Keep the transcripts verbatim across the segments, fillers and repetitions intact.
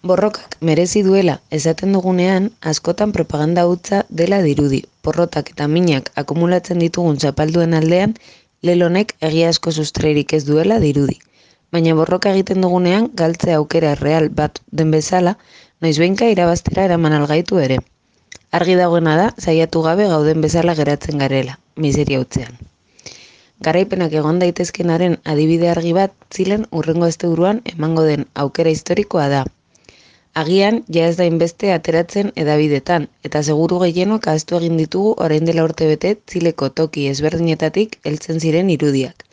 Borrokak merezi duela esaten dugunean, askotan propaganda hutsa dela dirudi. Porrotak eta minak akumulatzen ditugun zapalduen aldean, lelonek egia asko sustreirik ez duela dirudi. Baina borroka egiten dugunean, galtze aukera real bat den bezala, noizbehinka irabaztera eraman algaitu ere. Argi dagoena da, saiatu gabe gauden bezala geratzen garela, miseria hutzean. Garaipenak egon daitezkenaren adibide argi bat zilen hurrengo asteburuan emango den aukera historikoa da. Agian, ja ez da inbeste ateratzen edabidetan, eta seguru gehienok ahaztu egin ditugu orain dela urtebete Txileko toki ezberdinetatik heltzen ziren irudiak.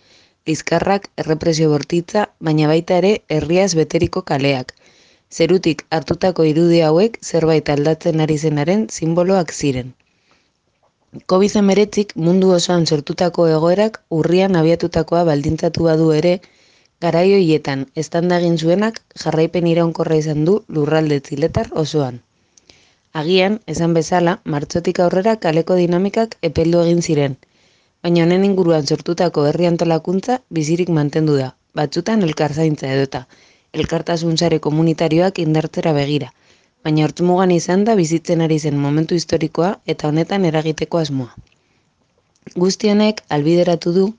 Lizkarrak, errepresio bortitza, baina baita ere herriaz beteriko kaleak. Zerutik hartutako irudi hauek zerbait aldatzen ari zenaren sinboloak ziren. covid hemeretzik mundu osoan sortutako egoerak urrian abiatutakoa baldintzatu badu ere, garai horietan eztanda egin zuenak jarraipen iraunkorra izan du lurralde txiletar osoan. Agian, esan bezala, martxotik aurrera kaleko dinamikak epeldu egin ziren, baina honen inguruan sortutako herri antolakuntza bizirik mantendu da, batzutan elkarzaintza edota, elkartasun sare komunitarioak indartzera begira, baina hortzumugan izan da bizitzen ari zen momentu historikoa eta honetan eragiteko asmoa. Guzti honek albideratu du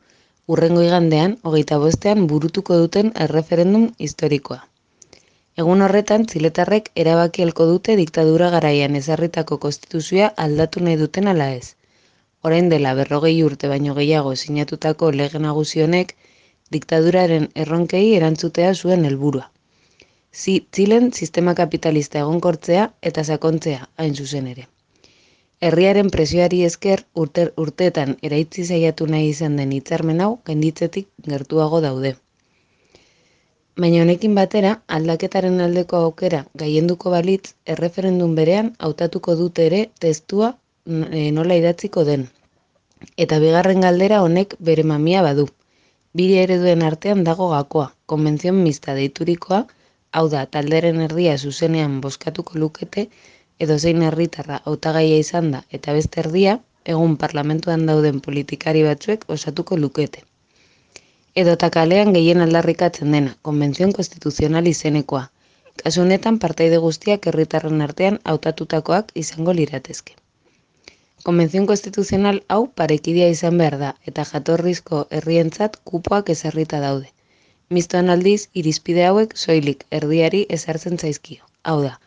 hurrengo igandean, hogeita bostean burutuko duten erreferendum historikoa. Egun horretan, txiletarrek erabaki helko dute diktadura garaian ezarritako konstituzioa aldatu nahi duten ala ez. Orain dela berrogei urte baino gehiago sinatutako lege nagusi honek diktaduraren erronkei erantzutea zuen helburua. Zi, Txilen sistema kapitalista egonkortzea eta sakontzea hain zuzen ere. Herriaren presioari esker urte, urteetan eraitzi saiatu nahi izan den hitzarmen hau gainditzetik gertuago daude. Baina honekin batera, aldaketaren aldeko aukera gaienduko balitz, erreferendum berean hautatuko dute ere testua e, nola idatziko den. Eta bigarren galdera honek bere mamia badu. Bire ereduen artean dago gakoa, konbentzion mista deiturikoa, hau da, talderen erdia zuzenean bozkatuko lukete, edozein herritarra hautagaia izan da eta beste erdia, egun parlamentuan dauden politikari batzuek osatuko lukete. Edota kalean gehien aldarrikatzen dena, konbentzion konstituzional izenekoa. Kasu honetan partaide guztiak herritarren artean hautatutakoak izango liratezke. Konbentzion konstituzional hau parekidea izan behar da eta jatorrizko herrientzat kupoak ezarrita daude. Mistoan aldiz, irizpide hauek soilik erdiari ezartzen zaizkio. Hau da,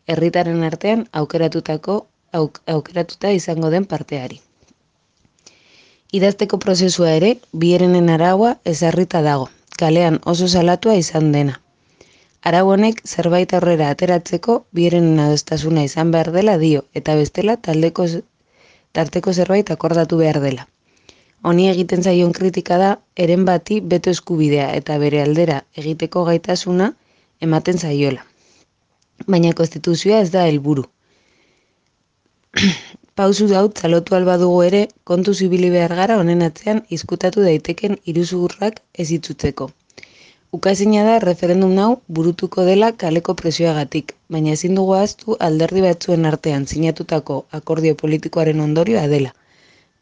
herritaren artean aukeratutako auk, aukeratuta izango den parteari. Idazteko prozesua ere, bierenen araua ezarrita dago, kalean oso salatua izan dena. Arau honek zerbait aurrera ateratzeko bierenen adostasuna izan behar dela dio, eta bestela taldeko, tarteko zerbait akordatu behar dela. Honi egiten zaion kritika da, eren bati beto eskubidea eta bere aldera egiteko gaitasuna ematen zaiola. Baina konstituzioa ez da helburu. Pausu daut txalotu alba dugu ere, kontu zibili behar gara honen atzean izkutatu daiteken iruzurrak ez itzutzeko. Ukazina da referendum hau burutuko dela kaleko presioagatik, baina ezin dugu ahaztu alderdi batzuen artean sinatutako akordio politikoaren ondorioa dela.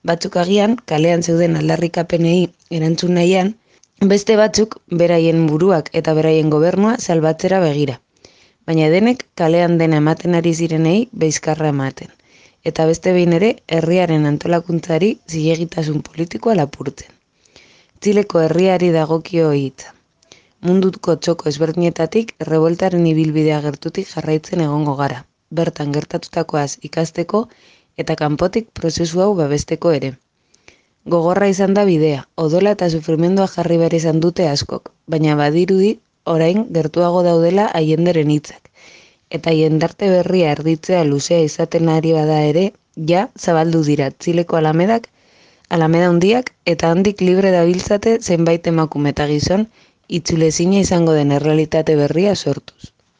Batzuk agian, kalean zeuden aldarrikapenei erantzun nahian, beste batzuk beraien buruak eta beraien gobernua salbatzera begira. Baina denek kalean dena ematen ari zirenei beizkarra ematen. Eta beste behin ere, herriaren antolakuntzari zilegitasun politikoa lapurtzen. Txileko herriari dagokio hitza. Munduko txoko ezberdinetatik revoltaren ibilbidea gertutik jarraitzen egongo gara. Bertan gertatutakoaz ikasteko eta kanpotik prozesu hau babesteko ere. Gogorra izan da bidea, odola eta sufrimendua jarri behar izan dute askok, baina badirudi orain gertuago daudela haienderen hitzak. Eta jendarte berria erditzea luzea izaten ari bada ere, ja zabaldu dira Txileko alamedak, alameda handiak eta handik libre dabiltzate zenbait emakume eta gizon itzulezina izango den errealitate berria sortuz.